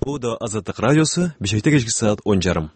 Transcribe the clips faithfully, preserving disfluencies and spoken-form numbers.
Оодо Азаттык радиосу, Бишкекте кечки саат он жарым.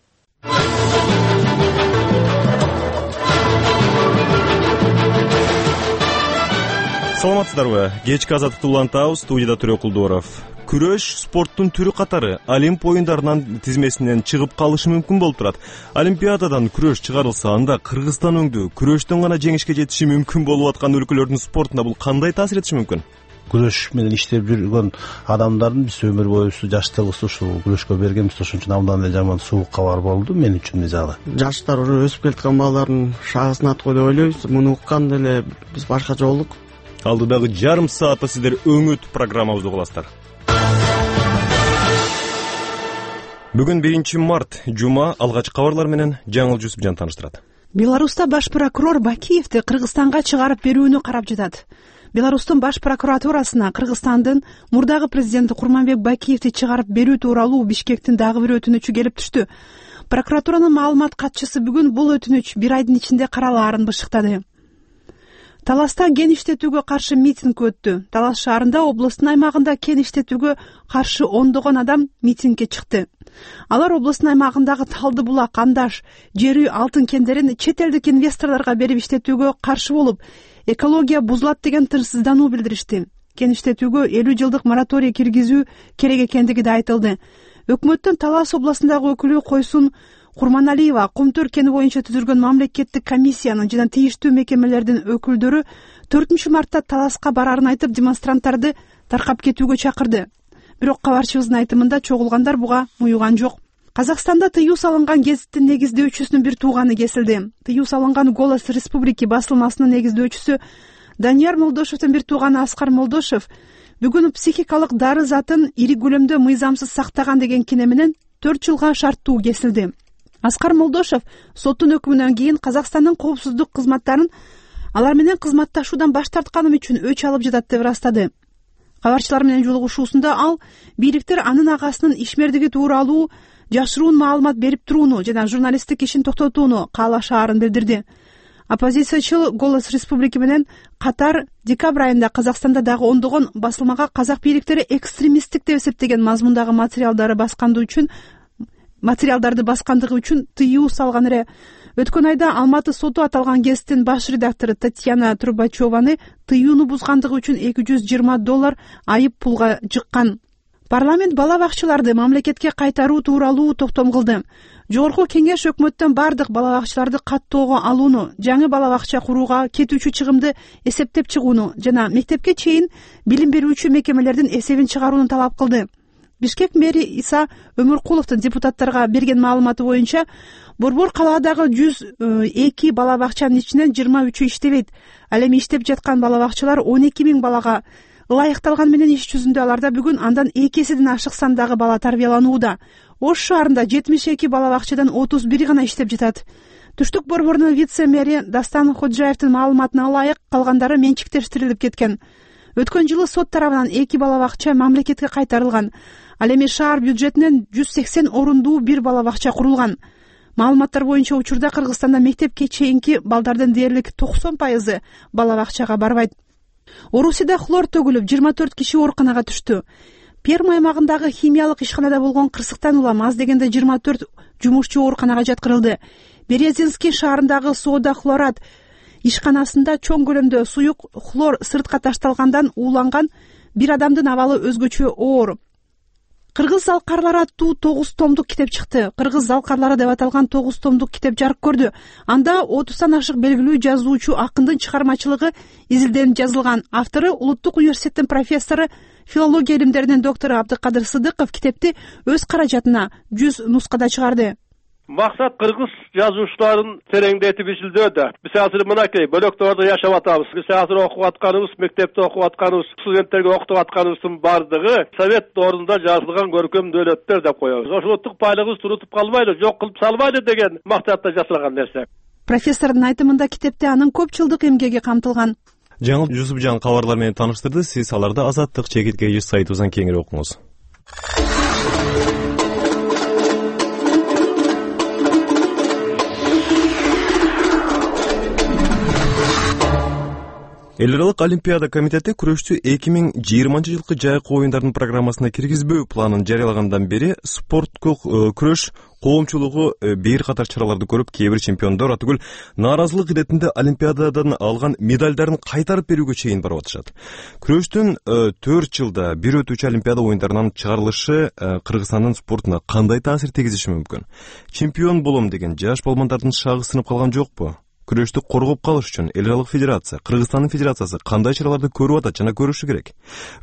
Саламатсыздарбы? Кечки Азаттыкты улантабыз. Студияда Төрө Кулдуоров. Күрөш спорттун түрү катары Олимп оюндарынын тизмесинен чыгып калышы мүмкүн болуп турат. Олимпиададан күрөш чыгарылса, анда Кыргызстан өңдүү күрөштөн гана жеңишке жетиши мүмкүн болуп аткан өлкөлөрдүн спортуна бул кандай таасир этиши мүмкүн? Күрөш менен иштеп жүргөн адамдардын биз өмүр боюбузду жаштыгыбызды ушул күрөшкө бергенбиз. Ошон үчүн абдан эле жаман суук кабар болду мен үчүн мисалы. Жаштар уже өсүп келаткан балдардын шагысын аткой деп ойлойбуз. Муну укканда эле биз башкача болдук. Алдыдагы жарым саатта сиздер өңүт программабызды угуласыздар. Бүгүн биринчи март, жума, алгач кабарлар менен Жаңыл Жусупжан тааныштырат. Беларуста баш прокурор Бакиевди Кыргызстанга чыгарып берүүнү карап жатат. Беларустун баш прокуратурасына Кыргызстандын мурдагы президенти Курманбек Бакиевди чыгарып берүү тууралуу Бишкектин дагы бир өтүнүчү келип түштү. Прокуратуранын маалымат катчысы бүгүн бул өтүнүч бир айдын ичинде каралаарын бышыктады. Таласта кен иштетүүгө каршы митинг өттү. Талас шаарында областын аймагында кен иштетүүгө каршы ондогон адам митингге чыкты. Алар областын аймагындагы Талды булак, Андаш, жери алтын кендерин чет элдик инвесторлорго берип иштетүүгө каршы болуп, экология бузулат деген тынчсыздануу билдиришти. Кен иштетүүгө элүү жылдык мораторий киргизүү керек экендиги да айтылды. Өкмөттүн Талас областындагы өкүлү Койсун Курманалиева Кумтөр кени боюнча түзүлгөн мамлекеттик комиссиянын жана тийиштүү мекемелердин өкүлдөрү төртүнчү мартта Таласка барарын айтып, демонстранттарды таркап кетүүгө чакырды. Бирок кабарчыбыздын айтымында чогулгандар буга муюган жок. Казакстанда тыюу салынган гезиттин негиздөөчүсүнүн бир тууганы кесилди. Тыюу салынган Голос Республики басылмасынын негиздөөчүсү Данияр Молдошевдин бир тууганы Аскар Молдошев бүгүн психикалык дары затын ири көлөмдө мыйзамсыз сактаган деген кине менен төрт жылга шарттуу кесилди. Аскар Молдошев соттун өкүмүнөн кийин Казакстандын коопсуздук кызматтарын алар менен кызматташуудан баш тартканым үчүн өч алып жатат деп ырастады. Кабарчылар менен жолугушуусунда ал бийликтер анын агасынын ишмердиги тууралуу жашыруун маалымат берип турууну жана журналисттик ишин токтотууну каалашаарын билдирди. Оппозициячыл Голос Республики менен катар декабрь айында Казакстанда дагы ондогон басылмага казак бийликтери экстремисттик деп эсептеген мазмундагы материалдары басканды үчүн материалдарды баскандыгы үчүн тыюу салган эле. Өткөн айда Алматы соту аталган гезиттин баш редактору Татьяна Трубачеваны тыюуну бузгандыгы үчүн эки жүз жыйырма доллар айып пулга жыккан. Парламент бала бакчаларды мамлекетке кайтаруу тууралуу токтом кылды. Жогорку кеңеш өкмөттөн бардык бала бакчаларды каттоого алууну, жаңы бала бакча курууга кетүүчү чыгымды эсептеп чыгууну жана мектепке чейин билим берүүчү мекемелердин эсебин чыгарууну талап кылды. Бишкек мэри Иса Өмүркуловдун депутаттарга берген маалыматы боюнча Борбор калаадагы жүз эки бала бакчанын ичинен жыйырма үчү иштебейт. Ал эми иштеп жаткан бала бакчалар он эки миң балага ылайыкталган менен иш жүзүндө аларда бүгүн андан эки эседен ашык сандагы бала тарбияланууда. Ош шаарында жетимиш эки бала бакчадан отуз бири гана иштеп жатат. Түштүк борборунун вице-мэри Дастан Ходжаевдин маалыматына ылайык калгандары менчиктештирилип кеткен. Өткөн жылы сот тарабынан эки бала бакча мамлекетке кайтарылган. Ал эми шаар бюджетинен жүз сексен орундуу бир бала бакча курулган. Маалыматтар боюнча учурда Кыргызстанда мектепке чейинки балдардын дээрлик токсон пайызы бала бакчага барбайт. Орусияда хлор төгүлүп жыйырма төрт киши ооруканага түштү. Перми аймагындагы химиялык ишканада болгон кырсыктан улам аз дегенде жыйырма төрт жумушчу ооруканага жаткырылды. Березинский шаарындагы Сода хлорат ишканасында чоң көлөмдө суюк хлор сыртка ташталгандан ууланган бир адамдын абалы өзгөчө оор. Кыргыз залкарлары аттуу тогуз томдук китеп чыкты. Кыргыз залкарлары деп аталган тогуз томдук китеп жарык көрдү. Анда отуздан ашык белгилүү жазуучу акындын чыгармачылыгы изилденип жазылган. Автору Улуттук университеттин профессору, филология илимдеринин доктору Абдыкадыр Сыдыков китепти өз каражатына жүз нускада чыгарды. Максат кыргыз жазуучуларын тереңдетип изилдөөдө. Биз азыр мынакей бөлөктөрдө жашап атабыз. Биз азыр окуп атканыбыз, мектепте окуп атканыбыз, студенттерге окутуп атканыбыздын бардыгы совет доорунда жазылган көркөм дөөлөттөр деп коебуз. Ошол улуттук байлыгыбызды турутуп калбайлы, жок кылып салбайлы деген максатта жасалган нерсе. Профессордун айтымында китепте анын көп жылдык эмгеги камтылган. Жаңыл Жусупжан кабарлар менен тааныштырды. Сиз аларды Азаттык чекитке жүз сайтыбыздан кеңири окуңуз. Эл аралык Олимпиада комитети күрөштү эки миң жыйырманчы жылкы жайкы оюндардын программасына киргизбөө планын жарыялагандан бери спорттук күрөш коомчулугу бир катар чараларды көрүп, кээ бир чемпиондор атүгүл нааразылык иретинде Олимпиададан алган медалдарын кайтарып берүүгө чейин барып атышат. Күрөштүн төрт жылда бир өтүүчү Олимпиада оюндарынан чыгарылышы Кыргызстандын спортуна кандай таасир тийгизиши мүмкүн? Чемпион болом деген жаш балбандардын шагы сынып калган жокпу? Күрөштү коргоп калыш үчүн эл аралык федерация, Кыргызстандын федерациясы кандай чараларды көрүп атат жана көрүшү керек?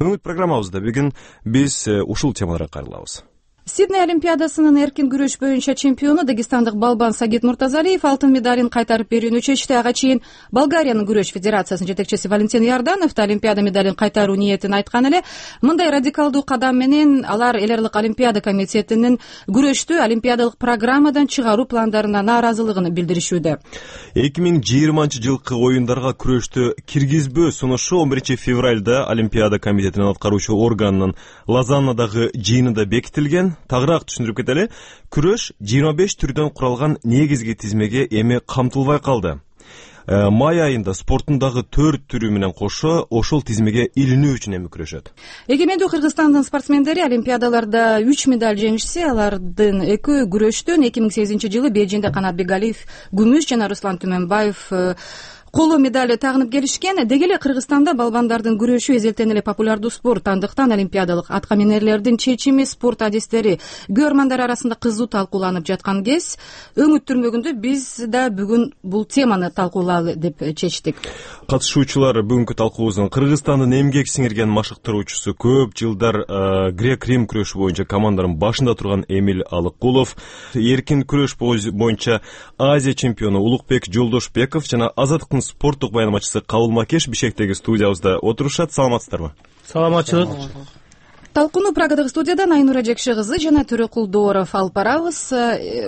Өңүт программабызда бүгүн биз ушул темаларга кайрылабыз. Сидней Олимпиадасынын эркин күрөш боюнча чемпиону дагестандык балбан Сагит Муртазалиев алтын медалин кайтарып берүүнү чечти. Ага чейин Болгариянын күрөш федерациясынын жетекчиси Валентин Ярданов да Олимпиада медалин кайтаруу ниетин айткан эле. Мындай радикалдуу кадам менен алар эл аралык Олимпиада комитетинин күрөштү олимпиадалык программадан чыгаруу пландарына нааразылыгын билдиришүүдө. эки миң жыйырманчы жылкы оюндарга күрөштү киргизбөө сунушу он биринчи февралда Олимпиада комитетинин аткаруучу органынын Лозаннадагы жыйынында бекитилген. Тагыраак түшүндүрүп кетели. Күрөш жыйырма беш түрдөн куралган негизги тизмеге эми камтылбай калды. Май айында спорттун дагы төрт түрү менен кошо ошол тизмеге илинүү үчүн эми күрөшөт. Эгемендүү Кыргызстандын спортсмендери олимпиадаларда үч медаль жеңишсе, алардын экөө күрөштөн эки миң сегизинчи жылы Бейжиңде Канат Бегалиев күмүш жана Руслан Түмөнбаев коло медаль тагынып келишкен. Деги эле Кыргызстанда балбандардын күрөшү эзелтен эле популярдуу спорт. Андыктан олимпиадалык атка минерлердин чечими, спорт адистери көрөрмандар арасында кызуу талкууланып жаткан кез, өңүт түрмөгүндө биз да бүгүн бул теманы талкуулайлы деп чечтик. Катышуучулар бүгүнкү талкуубуздун Кыргызстандын эмгек сиңирген машыктыруучусу, көп жылдар грек-рим күрөшү боюнча командалардын башында турган Эмиль Алыккулов, эркин күрөш боюнча Азия чемпиону Улукбек Жолдошбеков жана Азаттыктын спорттук баянмачысы Кабыл Макеш Бишкектеги студиябызда отурушат. Саламатсыздарбы? Саламатчылык. Талкууну Прагадагы студиядан Айнура Жекше кызы жана Төрөкулдооров алып барабыз.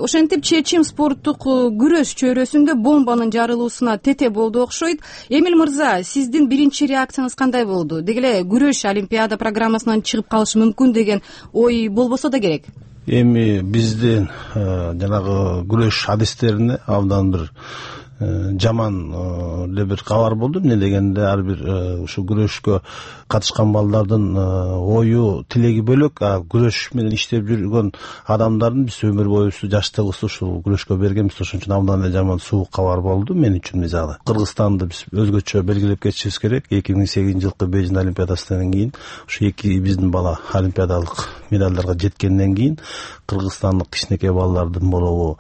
Ошентип чечим спорттук күрөш чөйрөсүндө бомбанын жарылуусуна тете болду окшойт. Эмиль мырза, сиздин биринчи реакцияңыз кандай болду? Деги эле күрөш олимпиада программасынан чыгып калышы мүмкүн деген ой болбосо да керек. Эми биздин жанагы күрөш адистерине абдан бир жаман эле бир кабар болду. Эмне дегенде ар бир ушу күрөшкө катышкан балдардын ою, тилеги бөлөк, а күрөш менен иштеп жүргөн адамдардын биз өмүр боюсу жаштыгыбызды ушул күрөшкө бергенбиз. Ошон үчүн абдан эле жаман суук кабар болду мен үчүн. Мисалы Кыргызстанды биз өзгөчө белгилеп кетишибиз керек. эки миң сегизинчи жылкы Бейжиң олимпиадасынан кийин ушу эки биздин бала олимпиадалык медалдарга жеткенден кийин кыргызстандык кичинекей балдардын болобу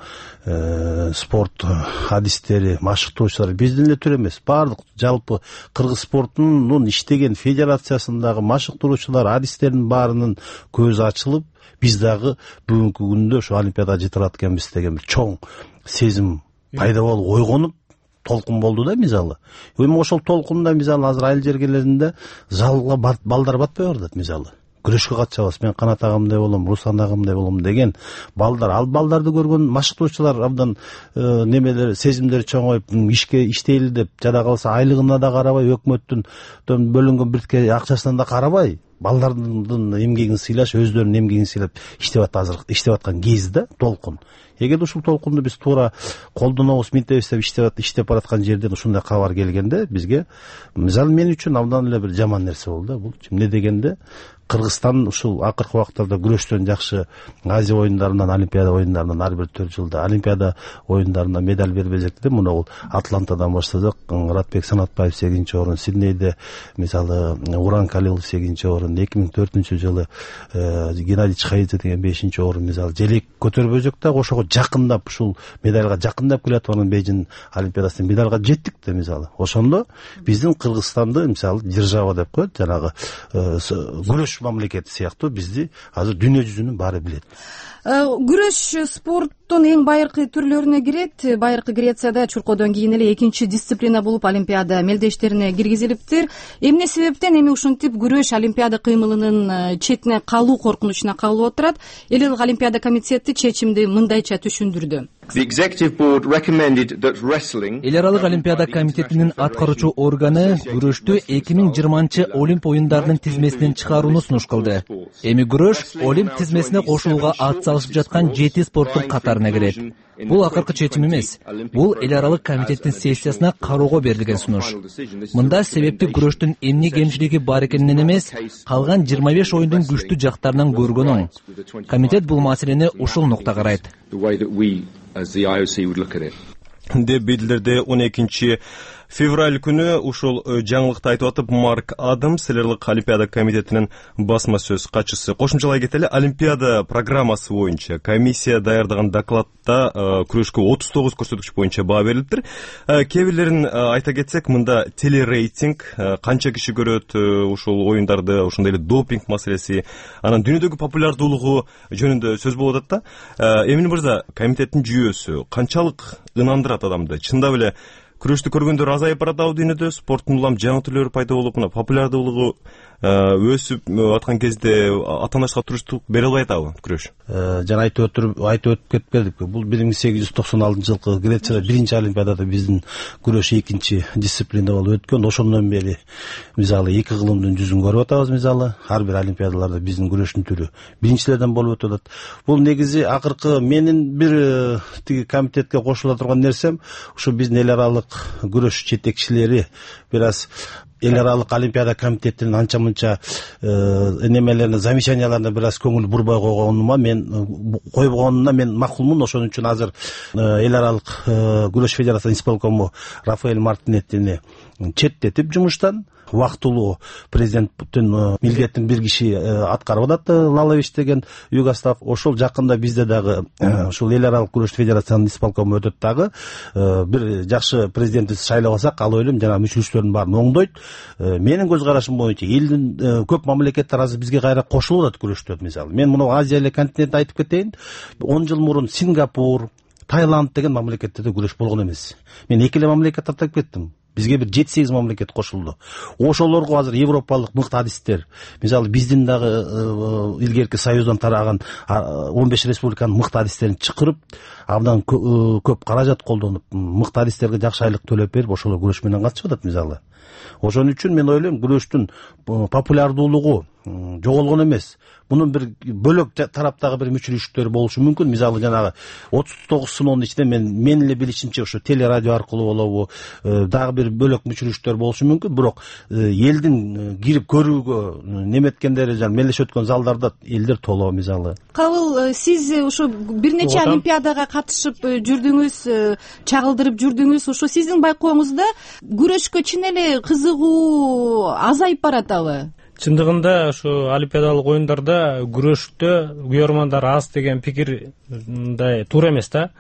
спорт адистери, машыктоочулар биздин эле түр эмес, баардык жалпы кыргыз спортунун иштеген федерациясындагы машыктыруучулар, адистердин баарынын көзү ачылып, биз дагы бүгүнкү күндө ошо олимпиадага жете алат экенбиз деген бир чоң сезим пайда болуп ойгонуп толкун болду да. Мисалы эми ошол толкунда мисалы азыр айыл жергелеринде залга балдар батпай баратат. Мисалы күрөшкө катышабыз, мен Канат агамдай болом, Руслан агамдай болом деген балдар, ал балдарды көргөн машыктоочулар абдан немелер, сезимдери чоңоюп, ишке иштейли деп, жада калса айлыгына да карабай, өкмөттүн бөлүнгөн биртке акчасына да карабай, балдардын эмгегин сыйлаш, өздөрүнүн эмгегин сыйлап иштеп атат азыр иштеп аткан кез да толкун. Эгерде ушул толкунду биз туура колдонобуз, минтебиз деп иштеп иштеп бараткан жерден ушундай кабар келгенде бизге, мисалы мен үчүн абдан эле бир жаман нерсе болду да. Бул эмне дегенде Кыргызстан ушул акыркы убактарда күрөштөн жакшы Азия оюндарынан, Олимпиада оюндарынан ар бир төрт жылда Олимпиада оюндарына медаль бербей жүрдү. Муну бул Атлантадан баштадык. Муратбек Санатбаев сегизинчи орун, Сиднейде мисалы Уран Калилов сегизинчи орун, эки миң төртүнчү жылы Геннадий Чхаидзе деген бешинчи орун. Мисалы желек көтөрбөзөк да ошого жакындап, ушул медальга жакындап келаткан Бейжиң Олимпиадасына медальга жеттик да. Мисалы ошондо биздин Кыргызстанды мисалы держава деп коет, жанагы күрөш мамлекети сыяктуу бизди азыр дүйнө жүзүнүн баары билет. Күрөш спорттун эң байыркы түрлөрүнө кирет. Байыркы Грецияда чуркоодон кийин эле экинчи дисциплина болуп олимпиада мелдештерине киргизилиптир. Эмне себептен эми ушинтип күрөш олимпиада кыймылынын четине калуу коркунучуна кабылып отурат? Эл аралык олимпиада комитети чечимди мындайча түшүндүрдү. Эл аралык олимпиада комитетинин аткаруучу органы күрөштү эки миң жыйырманчы Олимп оюндарынын тизмесинен чыгарууну сунуш кылды. Эми күрөш Олимп тизмесине кошулууга ат салышып жаткан жети спорттун катарына катарына кирет. Бул акыркы чечим эмес. Бул эл аралык комитеттин сессиясына кароого берилген сунуш. Мында себепти күрөштүн эмне кемчилиги бар экенинен эмес, калган жыйырма беш оюндун күчтүү жактарынан көргөн оң. Комитет бул маселени ушул нукта карайт деп билдирди он экинчи февраль күнү ушул жаңылыкты айтып атып Марк Адамс, Селерлик Олимпиада комитетинин басма сөз катчысы. Кошумчалай кетели, Олимпиада программасы боюнча комиссия даярдаган докладда күрөшкө отуз тогуз көрсөткүч боюнча баа берилиптир. Кээ бирлерин айта кетсек, мында телерейтинг, канча киши көрөт ушул оюндарды, ошондой эле допинг маселеси, анан дүйнөдөгү популярдуулугу жөнүндө сөз болуп атат да. Эмин мырза, комитеттин жүйөсү канчалык ынандырат адамды? Чындап эле күрөштү көргөндөр азайып баратабы дүйнөдө? Спорттун улам жаңы түрлөрү пайда болуп, мына популярдуулугу өсүп аткан кезде атаанашка туруштук бере албай атабы күрөш? Жана айтып өтүп айтып өтүп кетип бердик. Бул бир миң сегиз жүз токсон алтынчы жылкы Грецияда биринчи олимпиадада биздин күрөш экинчи дисциплина болуп өткөн. Ошондон бери мисалы эки кылымдын жүзүн көрүп атабыз. Мисалы ар бир олимпиадаларда биздин күрөштүн түрү биринчилерден болуп өтүп атат. Бул негизи акыркы менин бир тиги комитетке кошула турган нерсем, ушу биздин эл аралык күрөш жетекчилери бир аз эл аралык олимпиада комитетинин анча мынча немелерине, замечанияларына бир аз көңүл бурбай койгонума мен койбогонуна мен макулмун. Ошон үчүн азыр эл аралык күрөш федерациясынын исполкому Рафаэль Мартинеттини четтетип жумуштан, убактылуу президенттин милдетин бир киши аткарып атат, Лалович деген Югослав. Ошол жакында бизде дагы ушул эл аралык күрөш федерациясынын исполкому өтөт дагы. Бир жакшы президентти шайлап алсак, ал ойлойм жана мүчөлүктөрдүн баарын оңдойт. Менин көз карашым боюнча элдин көп мамлекеттер азыр бизге кайра кошулуп атат күрөштө. Мисалы мен муну Азия эле континентин айтып кетейин. он жыл мурун Сингапур, Таиланд деген мамлекеттерде күрөш болгон эмес. Мен эки эле мамлекет атап кеттим. Бизге бир жети сегиз мамлекет кошулду. Ошолорго азыр европалык мыкты адистер, мисалы биздин дагы илгерки союздан тараган он беш республиканын мыкты адистерин чакырып, абдан көп каражат колдонуп, мыкты адистерге жакшы айлык төлөп берип, ошолор күрөш менен катышып атат мисалы. Ошон үчүн мен ойлойм, күрөштүн популярдуулугу жоголгон эмес. Мунун бир бөлөк тараптагы бир мүчөлүктөр болушу мүмкүн. Мисалы жанагы отуз тогуз сыноонун ичинде мен мен эле билишимче ошо телерадио аркылуу болобу, дагы бир бөлөк мүчөлүктөр болушу мүмкүн. Бирок элдин кирип көрүүгө неметкендери, жана мелдешип өткөн залдарда элдер толоо мисалы. Кабыл, сиз ушу бир нече олимпиадага катышып жүрдүңүз, чагылдырып жүрдүңүз. Ушу сиздин байкооңузда күрөшкө чын эле кызыгуу азайып баратабы? Чындыгында ушу олимпиадалык оюндарда күрөштө күйөрмандар аз деген пикир мындай туура эмес да.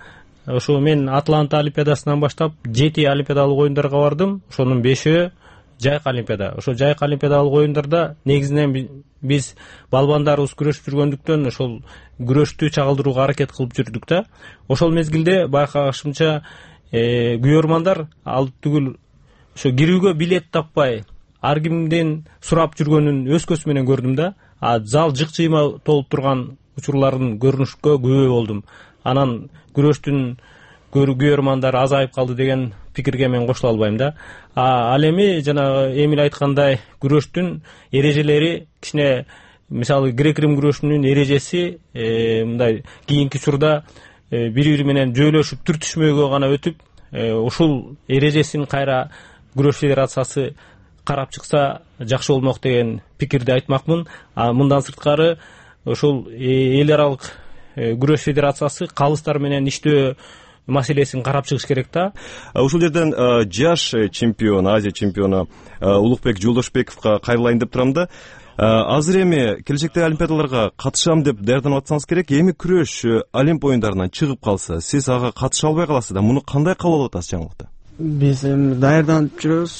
Ошо мен Атланта олимпиадасынан баштап жети олимпиадалык оюндарга бардым. Ошонун бешөө жайкы олимпиада. Ошо жайкы олимпиадалык оюндарда негизинен биз балбандарыбыз күрөшүп жүргөндүктөн ошол күрөштү чагылдырууга аракет кылып жүрдүк да. Ошол мезгилде байкагышымча күйөрмандар ал түгүл ошо кирүүгө билет таппай ар кимден сурап жүргөнүн өз көзүм менен көрдүм да. А зал жык-жыйма толуп турган учурларын көрүнүшкө күбө болдум. Анан күрөштүн күйөрмандары азайып калды деген пикирге мен кошула албайм да. А ал эми жана Эмил айткандай күрөштүн эрежелери кичине, мисалы грек-рим күрөшүнүн эрежеси мындай кийинки учурда бири-бири менен жөөлөшүп түртүшмөөгө гана өтүп, ушул эрежесин кайра күрөш федерациясы карап чыкса жакшы болмок деген пикирди айтмакмын. А мындан сырткары ошол эл аралык күрөш федерациясы калыстар менен иштөө маселесин карап чыгыш керек да. Ушул жерден жаш чемпион, Азия чемпиону Улукбек Жолдошбековго кайрылайын деп турам да. Азыр эми келечектеги олимпиадаларга катышам деп даярданып атсаңыз керек. Эми күрөш Олимп оюндарынан чыгып калса, сиз ага катыша албай каласыз да. Муну кандай кабыл алып атасыз жаңылыкты? Биз эми даярданып жүрөбүз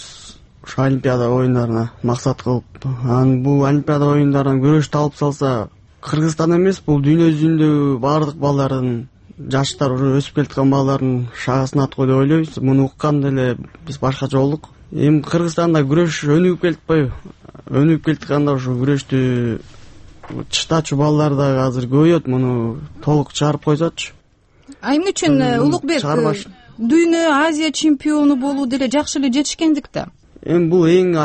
ушу олимпиада оюндарына максат кылып. Анан бул олимпиада оюндарынан күрөштү алып салса, Кыргызстан эмес, бул дүйнө жүзүндө баардык балдардын, жаштар, уже өсүп келаткан балдардын шагасына аткой деп ойлойбуз. Муну укканда эле биз башкача болдук. Эми Кыргызстанда күрөш өнүгүп келатпайбы? Өнүгүп келатканда ушу күрөштү чыштачу балдар дагы азыр көбөйөт. Муну толук чыгарып койсочу. А эмне үчүн Улукбек дүйнө Азия чемпиону болуу деле жакшы эле жетишкендик да? Эми бул эң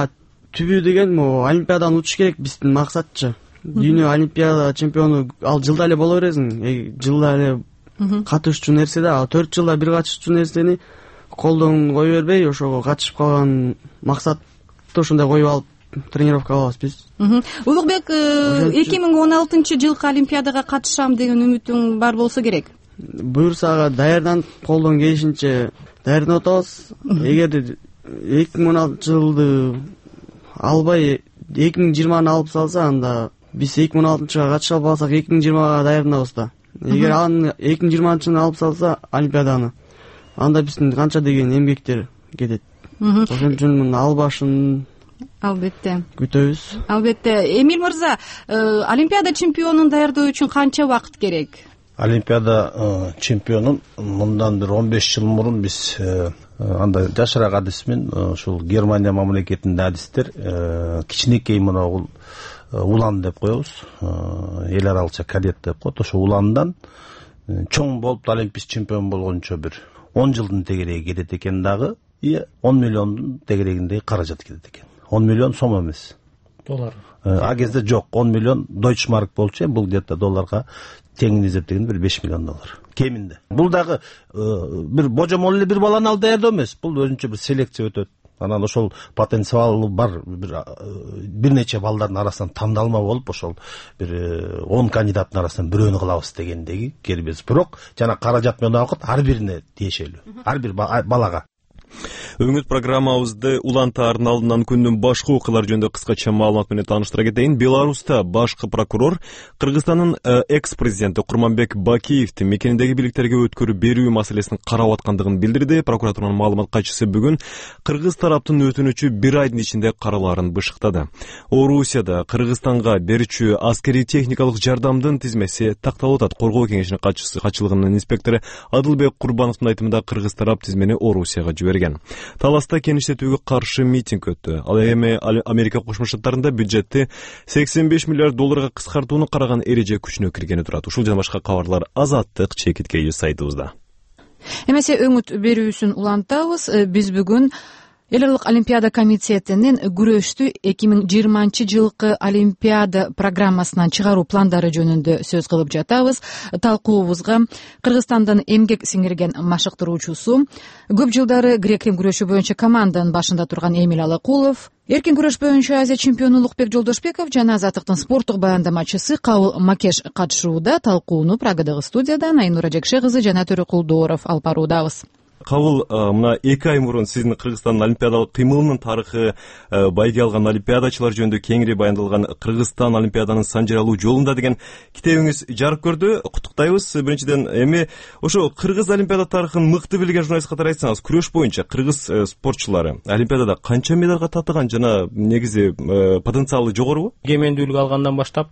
түбү деген могу олимпиадан утуш керек биздин максатчы. Дүйнө олимпиада чемпиону ал жылда эле боло бересиң. Жылда эле катышчу нерсе да. Ал төрт жылда бир катышчу нерсени колдон кое бербей ошого катышып калган максатты ошондой коюп алып тренировка кылабыз биз. Улукбек, эки миң он алтынчы жылкы Олимпиадага катышам деген үмүтүң бар болсо керек. Буюрса ага даярданып колдон келишинче даярданып атабыз. Эгер эки миң он алтынчы жылды албай эки миң жыйырманы алып салса, анда биз эки миң он алтынчыга катыша албасак эки миң жыйырмага даярданабыз да. Эгер аны эки миң жыйырманчыны алып салса Олимпиаданы, анда биздин канча деген эмгектер кетет. Ошон үчүн албашын албетте күтөбүз. Албетте. Эмил мырза, Олимпиада чемпионун даярдоо үчүн канча убакыт керек? Олимпиада чемпионун мындан бир он беш жыл мурун биз андай жашыраак адис менен ушул Германия мамлекетинде адистер кичинекей мына улан деп коебуз, эл аралыкча кадет деп коет. Ошо уландан чоң болуп олимпийский чемпион болгончо бир он жылдын тегереги кетет экен дагы, и он миллиондун тегерегиндей каражат кетет экен. он миллион сом эмес, доллар. А кезде жок, он миллион дойчмарк болчу, бул где-то долларга теңин эсептегенде бир беш миллион доллар кеминде. Бул дагы бир божомол эле бир баланы алып даярдоо эмес, бул өзүнчө бир селекция өтөт. Анан ошол потенциалы бар бир бир нече балдардын арасынан тандалма болуп, ошол бир он кандидаттын арасынан бирөөнү кылабыз дегендеги келбес. Бирок жана каражат менен убакыт ар бирине тиешелүү, ар бир балага. Өңүт программабызды улантаардын алдынан күндүн башкы окуялары жөнүндө кыскача маалымат менен тааныштыра кетейин. Беларуста башкы прокурор Кыргызстандын экс-президенти Курманбек Бакиевди мекениндеги бийликтерге өткөрүп берүү маселесин карап аткандыгын билдирди. Прокуратуранын маалымат катчысы бүгүн кыргыз тараптын өтүнүчү бир айдын ичинде каралаарын бышыктады. Орусияда Кыргызстанга берүүчү аскерий техникалык жардамдын тизмеси такталып атат. Коргоо кеңешинин катчысы катчылыгынын инспектору Адылбек Курбановдун айтымында кыргыз тарап тизмени Орусияга жиберген. Таласта кеңиштетүүгө каршы митинг өттү. Ал эми Америка Кошмо Штаттарында бюджетти сексен беш миллиард долларга кыскартууну караган эреже күчүнө киргени турат. Ушул жана башка кабарлар Азаттык чекиткеи сайтыбызда. Эмесе өңүт берүүсүн улантабыз. Биз бүгүн Эл аралык Олимпиада комитетинин күрөштү эки миң жыйырманчы жылкы Олимпиада программасынан чыгаруу пландары жөнүндө сөз кылып жатабыз. Талкуубузга Кыргызстандын эмгек сиңирген машыктыруучусу, көп жылдары грек-рим күрөшү боюнча команданын башында турган Эмил Алакулов, эркин күрөш боюнча Азия чемпиону Улукбек Жолдошбеков жана Азаттыктын спорттук баяндамачысы Кабыл Макеш катышууда. Талкууну Прагадагы студиядан Айнура Жекше кызы жана Төрөкулдууров алып баруудабыз. Кабыл, мына эки ай мурун сиздин Кыргызстандын олимпиадалык кыймылынын тарыхы, байге алган олимпиадачылар жөнүндө кеңири баяндалган Кыргызстан олимпиаданын санжыралуу жолунда деген китебиңиз жарык көрдү. Куттуктайбыз. Биринчиден, эми ошо кыргыз олимпиада тарыхын мыкты билген журналист катары айтсаңыз, күрөш боюнча кыргыз спортчулары олимпиадада канча медалга татыган жана негизи потенциалы жогорубу? Эгемендүүлүк алгандан баштап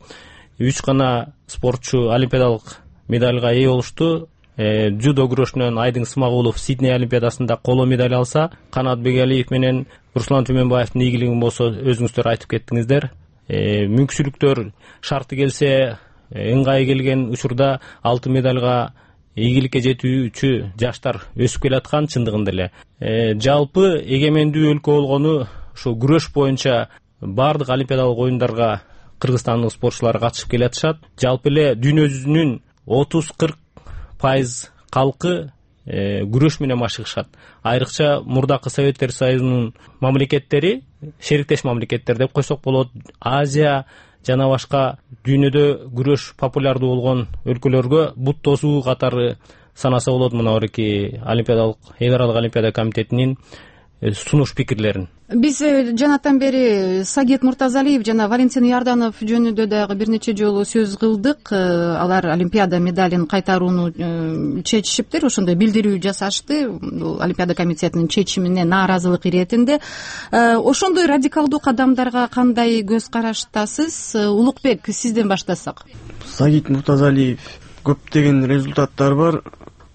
үч гана спортчу олимпиадалык медальга ээ болушту. Джудо күрөшүнөн Айдың Смагулов Сидней олимпиадасында коло медаль алса, Канат Бегалиев менен Руслан Түмөнбаевдин ийгилигин болсо өзүңүздөр айтып кеттиңиздер. Мүмкүнчүлүктөр шарты келсе, ыңгай келген учурда алтын медальга ийгиликке жетүүчү жаштар өсүп келаткан чындыгында эле. Жалпы эгемендүү өлкө болгону ошо күрөш боюнча бардык олимпиадалык оюндарга кыргызстандык спортчулар катышып келатышат. Жалпы эле дүйнө жүзүнүн отуз кырк пайыз калкы күрөш менен машыгышат. Айрыкча мурдакы Советтер Союзунун мамлекеттери, шериктеш мамлекеттер деп койсок болот, Азия жана башка дүйнөдө күрөш популярдуу болгон өлкөлөргө бут тосуу катары санаса болот. Мына орки олимпиадалык эл аралык олимпиада комитетинин сунуш пикирлерин. Биз жанатан бери Сагит Муртазалиев жана Валентин Ярданов жөнүндө дагы бир нече жолу сөз кылдык. Алар олимпиада медалин кайтарууну чечишиптир, ошондой билдирүү жасашты. Бул олимпиада комитетинин чечимине нааразылык иретинде. Ошондой радикалдуу кадамдарга кандай көз караштасыз? Улукбек, сизден баштасак. Сагит Муртазалиев көптөгөн результаттар бар.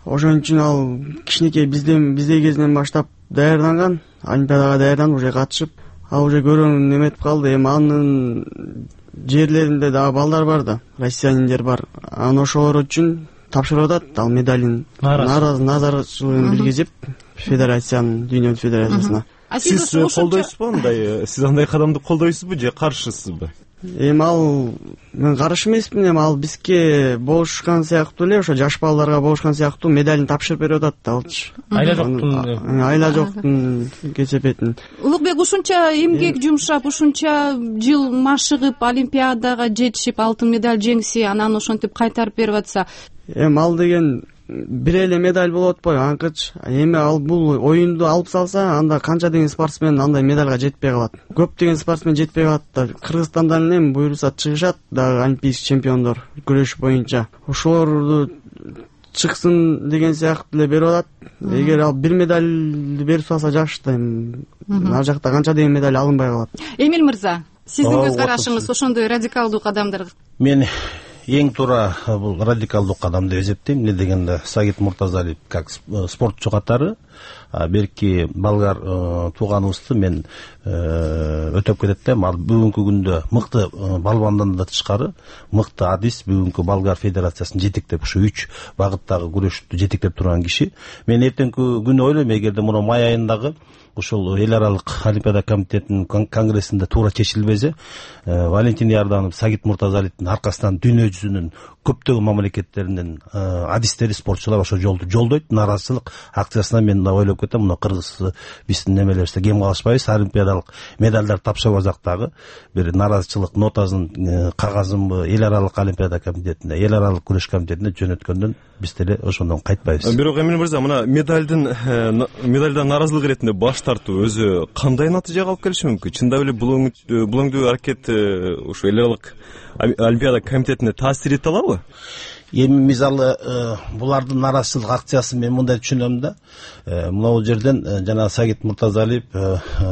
Ошон үчүн ал кичинекей бизден биздей кезинен баштап даярданган, олимпиадага даярданып уже катышып, ал уже көрүүнү неметип калды. Эми анын жерлеринде дагы балдар бар да, россияниндер бар. Анан ошолор үчүн тапшырып атат ал медалин, наразычылыгын билгизип федерациянын, дүйнө федерациясына. Сиз колдойсузбу андай, сиз андай кадамды колдойсузбу же каршысызбы? эми ал мен каршы эмесмин, эми ал бизге болушкан сыяктуу эле ошо жаш балдарга болушкан сыяктуу медалин тапшырып берип атат да алчы. Айла жоктун айла жоктун кесепетин. Улукбек ушунча эмгек жумшап, ушунча жыл машыгып, олимпиадага жетишип, алтын медаль жеңси, анан ошентип кайтарып берип атса, эми ал деген бир эле медаль болуп атпайбы анкычы. Эми ал бул оюнду алып салса, анда канча деген спортсмен андай медальга жетпей калат. Көптөгөн спортсмен жетпей калат да. Кыргызстандан эле буюрса чыгышат дагы олимпийский чемпиондор күрөш боюнча. Ошолорду чыксын деген сыяктуу эле берип атат. Эгер ал бир медальды берип салса жакшы да. Ар жакта канча деген медаль алынбай калат. Эмил мырза, сиздин көз карашыңыз ошондой радикалдуу кадамдар? Мен эң туура бул радикалдуу кадам деп эсептейм. Эмне дегенде Сагит Муртазалиев как спортчу катары берки болгар тууганыбызды мен өтөп кетет да. Ал бүгүнкү күндө мыкты балбандан да тышкары мыкты адис бүгүнкү болгар федерациясын жетектеп, ушу үч багыттагы күрөштү жетектеп турган киши. Мен эртеңки күнү ойлойм, эгерде муну май айындагы ушул эл аралык олимпиада комитетинин конгрессинде туура чечилбесе, Валентин Ярданов, Сагит Муртазалиевдин аркасынан дүйнө жүзүнүн көптөгөн мамлекеттеринин адистери, спортчулар ошол жолду жолдойт. Нааразычылык акциясына мен да ойлоп кетем, мына кыргыз биздин немелерибизде кем калышпайбыз, олимпиадалык медальдар тапшырбасак дагы бир нааразычылык нотасын, кагазынбы эл аралык олимпиада комитетине, эл аралык күрөш комитетине жөнөткөндөн биз деле ошондон кайтпайбыз. Бирок Эмил мырза, мына медальдын медальдан нааразылык иретинде баш тартуу өзү кандай натыйжага алып келиши мүмкүн? Чындап эле бул өңдүү аракет ушу эл аралык олимпиада комитетине таасир эте алабы? Эми мисалы булардын нааразычылык акциясын мен мындай түшүнөм да. Мына жерден жана Сагит Муртазалиев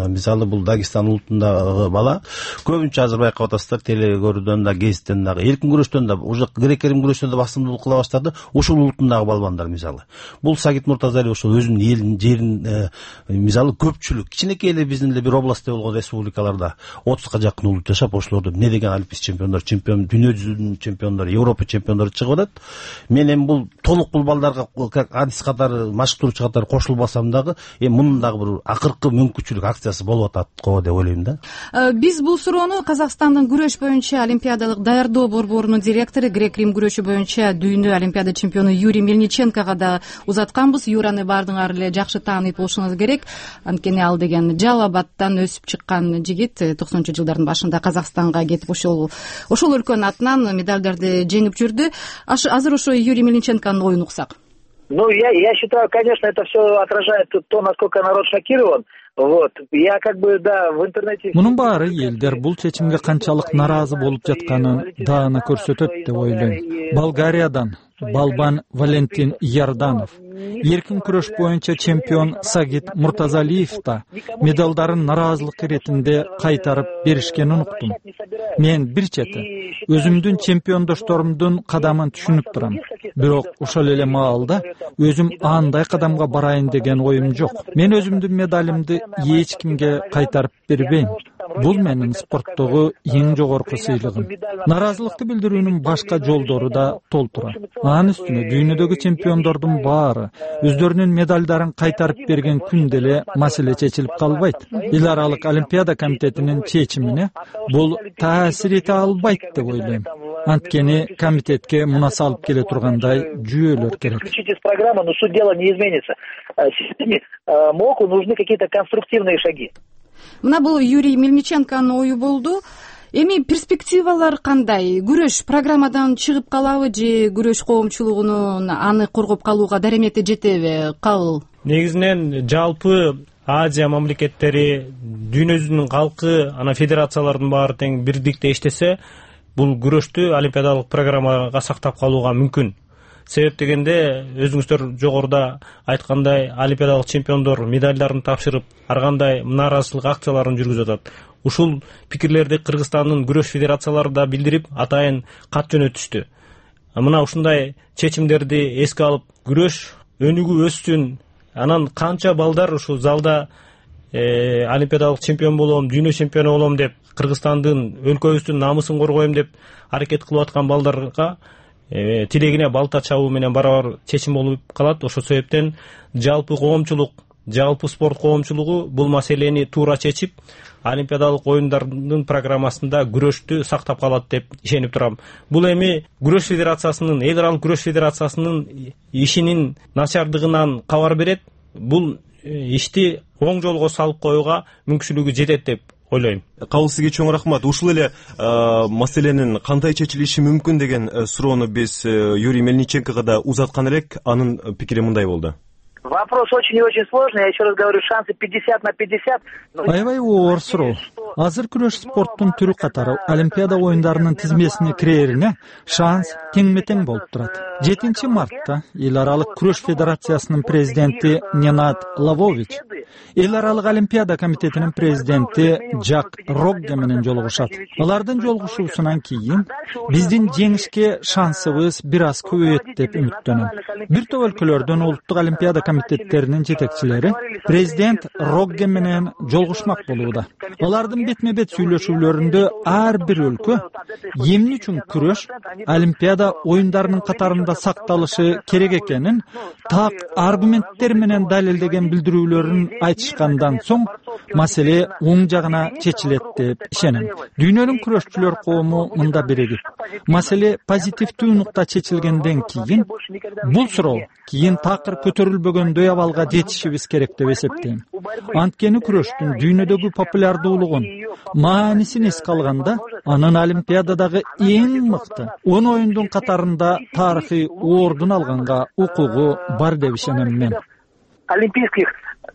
мисалы бул Дагестан улутундагы бала. Көбүнчө азыр байкап атасыздар, телегөрүүдөн да, гезиттен дагы, эркин күрөштөн да, уже грек-рим күрөштөн да басымдуулук кыла баштады. Ушул улутундагы балбандар мисалы. Бул Сагит Муртазалиев ошол өзүнүн элин, жерин мисалы көпчүлүк, кичинекей эле биздин эле бир областта болгон республикаларда отузга жакын улут жашап, ошолордун эмне деген олимпийский чемпиондор, чемпион, дүйнө жүзүнүн чемпиондору, Европа чемпиондору чыгып атат. Мен эми бул толук бул балдарга как адис катары, машыктыруучу катары кошулбасам дагы, эми мунун дагы бир акыркы мүмкүнчүлүк акциясы болуп атат го деп ойлойм да. Биз бул суроону Казакстандын күрөш боюнча олимпиадалык даярдоо борборунун директору, грек-рим күрөшү боюнча дүйнө олимпиада чемпиону Юрий Мельниченкого да узатканбыз. Юраны баардыгыңар эле жакшы таанып болушуңуз керек. Анткени ал деген Жалал Абадтан өсүп чыккан жигит, токсонунчу жылдардын башында Казакстанга кетип ошол ошол өлкөнүн атынан медальдарды жеңип жүрдү. Азыр ошо Юрий Мельниченконун оюн уксак. Ну, я, я считаю, конечно, это все отражает то, насколько народ шокирован. Вот. Я как бы, да, в интернете... Мунун баары элдер бул чечимге канчалык наразы болуп жатканын даана көрсөтөт деп ойлойм. Болгариядан балбан Валентин Ярданов, эркин күрөш боюнча чемпион Сагит Муртазалиев да медалдарын наразылык иретинде кайтарып беришкенин уктум. Мен бир чети өзүмдүн чемпиондошторумдун кадамын түшүнүп турам. Бирок ошол эле маалда өзүм андай кадамга барайын деген оюм жок. Мен өзүмдүн медалимди эч кимге кайтарып бербейм. Бул менин спорттогу эң жогорку сыйлыгым. Наразылыкты билдирүүнүн башка жолдору да толтура. Анын үстүнө дүйнөдөгү чемпиондордун баары өздөрүнүн медалдарын кайтарып берген күн деле маселе чечилип калбайт. Эл аралык олимпиада комитетинин чечимине бул таасир эте албайт деп ойлойм. Анткени комитетке муна салып келе тургандай жүйөлөр керек. Включите с программы, но суть дела не изменится. Системе МОКу нужны какие-то конструктивные шаги. Мына бул Юрий Мельниченконун ою болду. Эми перспективалар кандай? Күрөш программадан чыгып калабы же күрөш коомчулугунун аны коргоп калууга даремети жетеби? Кабыл? Негизинен жалпы Азия мамлекеттери, дүйнө жүзүнүн калкы, ана федерациялардын баары тең бирдикте иштесе, бул күрөштү олимпиадалык программага сактап калууга мүмкүн. Себеп дегенде, өзүңүздөр жогоруда айткандай, олимпиадалык чемпиондор медальдарын тапшырып, ар кандай нааразычылык акцияларын жүргүзүп атат. Ушул пикирлерди Кыргызстандын күрөш федерациялары да билдирип, атайын кат жөнөтүштү. Мына ушундай чечимдерди эске алып, күрөш өнүгүү өссүн, анан канча балдар ушул залда э, олимпиадалык чемпион болом, дүйнө чемпиону болом деп, Кыргызстандын, өлкөбүздүн намысын коргоем деп аракет кылып аткан балдарга тилегине балта чабуу менен барабар чечим болуп калат. Ошол себептен жалпы коомчулук жалпы спорт коомчулугу бул маселени туура чечип, Олимпиадалык оюндардын программасында күрөштү сактап калат деп ишенип турам. Бул эми күрөш федерациясынын, эл аралык күрөш федерациясынын ишинин начардыгынан кабар берет. Бул ишти оң жолго салып коюуга мүмкүнчүлүгү жетет деп ойлойм. Кабыл сизге чоң рахмат. Ушул эле маселенин кандай чечилиши мүмкүн деген суроону биз Юрий Мельниченкого да узаткан элек. Анын пикири мындай болду. Вопрос очень и очень сложный. Я еще раз говорю, шансы пятьдесят на пятьдесят. Аябай оор суроо. Азыр күрөш спорттун түрү катары Олимпиада оюндарынын тизмесине кирерине шанс тең-метең болуп турат. жетинчи мартта эл аралык күрөш федерациясынын президенти Ненад Лавович эл аралык Олимпиада комитетинин президенти Жак Рогге менен жолугушат. Алардын жолугушуусунан кийин биздин жеңишке шансыбыз бир аз көбөйөт деп үмүттөнөм. Бир топ өлкөлөрдөн улуттук Олимпиада комитеттеринин жетекчилери президент Рогге менен жолугушмак болууда. Алардын бетме-бет сүйлөшүүлөрүндө ар бир өлкө эмне үчүн күрөш Олимпиада оюндарынын катарында сакталышы керек экенин так аргументтер менен далилдеген билдирүүлөрүн айтышкандан соң маселе оң жагына чечилет деп ишенем. Дүйнөнүн күрөшчүлөр коому мында биригип, маселе позитивдүү нукта чечилгенден кийин бул суроо кийин такыр көтөрүлбөгөндөй абалга жетишибиз керек деп эсептейм. Анткени күрөштүн дүйнөдөгү популярдуулугун, маанисин эске алганда, анын Олимпиададагы эң мыкты он оюндун катарында тарыхый ордун алганга укугу бар деп ишенем мен. Олимпийских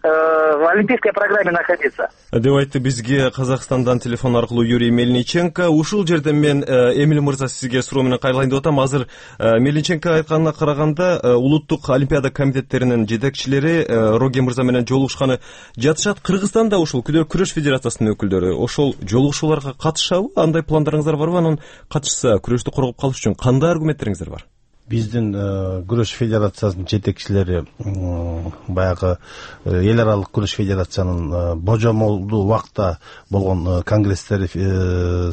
в олимпийской программе находиться. Деп айтты бизге Казакстандан телефон аркылуу Юрий Мельниченко. Ушул жерде мен Эмиль мырза сизге суроо менен кайрылайын деп атам. Азыр Мельниченко айтканына караганда улуттук Олимпиада комитеттеринин жетекчилери Рогге мырза менен жолугушканы жатышат. Кыргызстанда ушул күрөш федерациясынын өкүлдөрү ошол жолугушууларга катышабы? Андай пландарыңыздар барбы? Анан катышса күрөштү коргоп калыш үчүн кандай аргументтериңиздер бар? Биздин күрөш федерациясынын жетекчилери баягы эл аралык күрөш федерациянын божомолдуу убакта болгон конгресстери,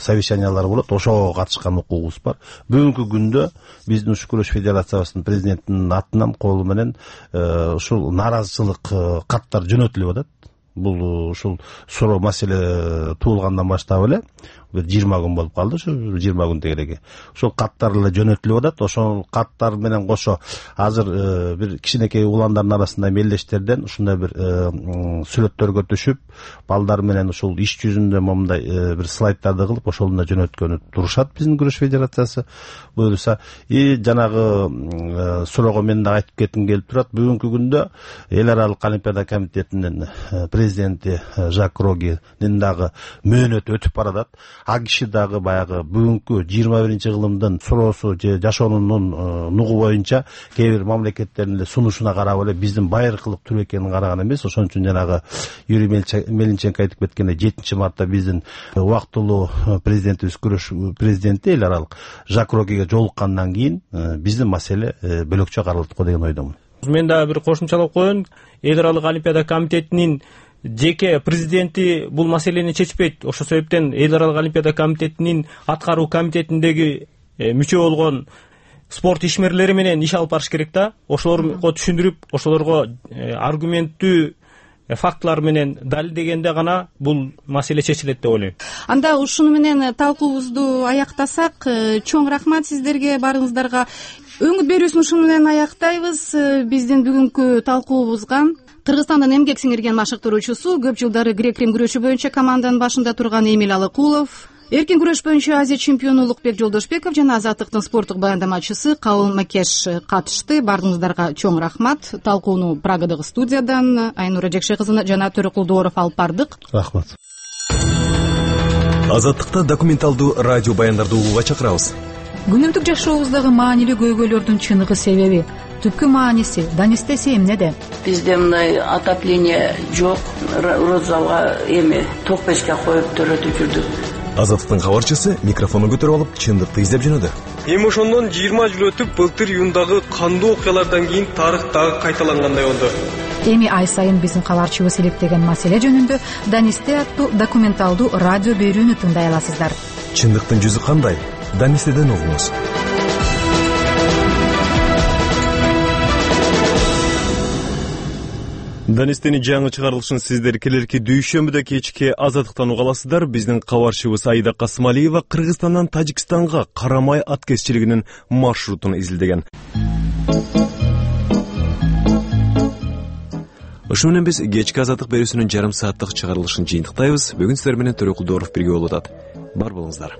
совещаниялары болот. Ошого катышкан укугубуз бар. Бүгүнкү күндө биздин ушу күрөш федерациясынын президентинин атынан колу менен ушул нааразычылык каттар жөнөтүлүп атат. Бул ушул суроо маселе туулгандан баштап эле бир жыйырма күн болуп калды, ушу жыйырма күн тегереги. Ошол каттар эле жөнөтүлүп атат. Ошол каттар менен кошо азыр бир кичинекей уландардын арасында мелдештерден ушундай бир сүрөттөргө түшүп, балдар менен ушул иш жүзүндө момундай бир слайдтарды кылып, ошолун да жөнөткөнү турушат биздин күрөш федерациясы буюрса. И жанагы суроого мен да айтып кетким келип турат. Бүгүнкү күндө эл аралык Олимпиада комитетинин президенти Жак Роггенин дагы мөөнөтү өтүп баратат. А киши дагы баягы бүгүнкү жыйырма биринчи кылымдын суроосу же жашоонун нугу боюнча кээ бир мамлекеттердин сунушуна карап эле биздин байыркылык түр экенин караган эмес. Ошон үчүн жанагы Юрий Мельниченко айтып кеткендей жетинчи мартта биздин убактылуу президентибиз, күрөш президенти эл аралык Жак Роггеге жолуккандан кийин биздин маселе бөлөкчө каралат го деген ойдомун. Мен да бир кошумчалап коеюн. Эл аралык Олимпиада комитетинин жеке президенти бул маселени чечпейт. Ошол себептен эл аралык Олимпиада комитетинин аткаруу комитетиндеги мүчө болгон спорт ишмерлери менен иш алып барыш керек да. Ошолорго түшүндүрүп, ошолорго аргументтүү фактылар менен далилдегенде гана бул маселе чечилет деп ойлойм. Анда ушуну менен талкуубузду аяктасак, чоң рахмат сиздерге баарыңыздарга. Өңүт берүүсүн ушуну менен аяктайбыз. Биздин бүгүнкү талкуубузга Кыргызстандын эмгек сиңирген машыктыруучусу, көп жылдары грек-рим күрөшү боюнча команданын башында турган Эмиль Алыкулов, эркин күрөш боюнча Азия чемпиону Улукбек Жолдошбеков жана Азаттыктын спорттук баяндамачысы Кабыл Макеш катышты. Баарыңыздарга чоң рахмат. Талкууну Прагадагы студиядан Айнура Жекше кызы жана Төрөкулдуоров алып бардык. Рахмат. Азаттыкта документалдуу радио баяндарды угууга чакырабыз. Күнүмдүк жашообуздагы маанилүү көйгөйлөрдүн чыныгы себеби, түпкү мааниси Данистеси эмнеде? Бизде мындай отопление жок, розалга эми ток печке коюп төрөтүп жүрдүк. Азаттыктын кабарчысы микрофону көтөрүп алып чындыкты издеп жөнөдү. Эми ошондон жыйырма жыл өтүп, былтыр июндагы кандуу окуялардан кийин тарых дагы кайталангандай болду. Эми ай сайын биздин кабарчыбыз иликтеген маселе жөнүндө Данисте аттуу документалдуу радио берүүнү тыңдай аласыздар. Чындыктын жүзү кандай? Данистеден угуңуз. Данистени жаңы чыгарылышын сиздер келерки дүйшөмбүдө кечки азаттыктан уга аласыздар. Биздин кабарчыбыз Аида Касымалиева Кыргызстандан Тажикстанга карамай аткезчилигинин маршрутун изилдеген. Ошо менен биз кечки азаттык берүүсүнүн жарым сааттык чыгарылышын жыйынтыктайбыз. Бүгүн сиздер менен Төрөкулдуоров бирге болуп атат. Бар болуңуздар.